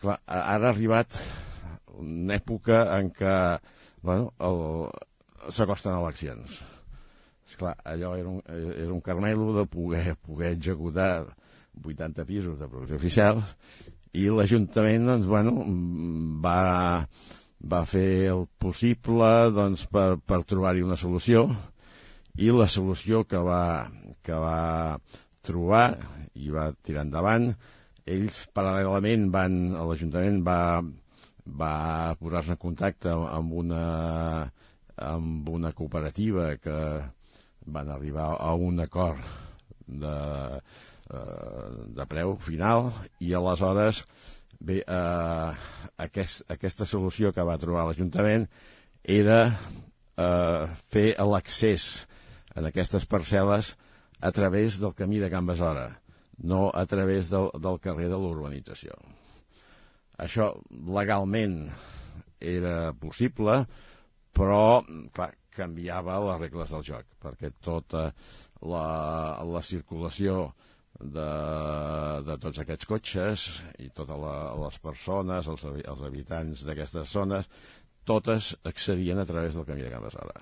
Clar, ara ha arribat una època en què s'acosten eleccions. Esclar, allò era un carmelo de poder executar 80 pisos de producció oficial, i l'Ajuntament va fer el possible per trobar-hi una solució, i la solució que va trobar i va tirar endavant, ells paral·lelament l'Ajuntament va posar-se en contacte amb una cooperativa que van arribar a un acord de preu final, i aleshores aquesta solució que va trobar l'Ajuntament era fer l'accés en aquestes parcel·les a través del camí de Can Besora, no a través del carrer de l'urbanització. Això legalment era possible, però clar, canviava les regles del joc, perquè tota la circulació de tots aquests cotxes i totes les persones, els habitants d'aquestes zones, totes accedien a través del camí de Can Besora.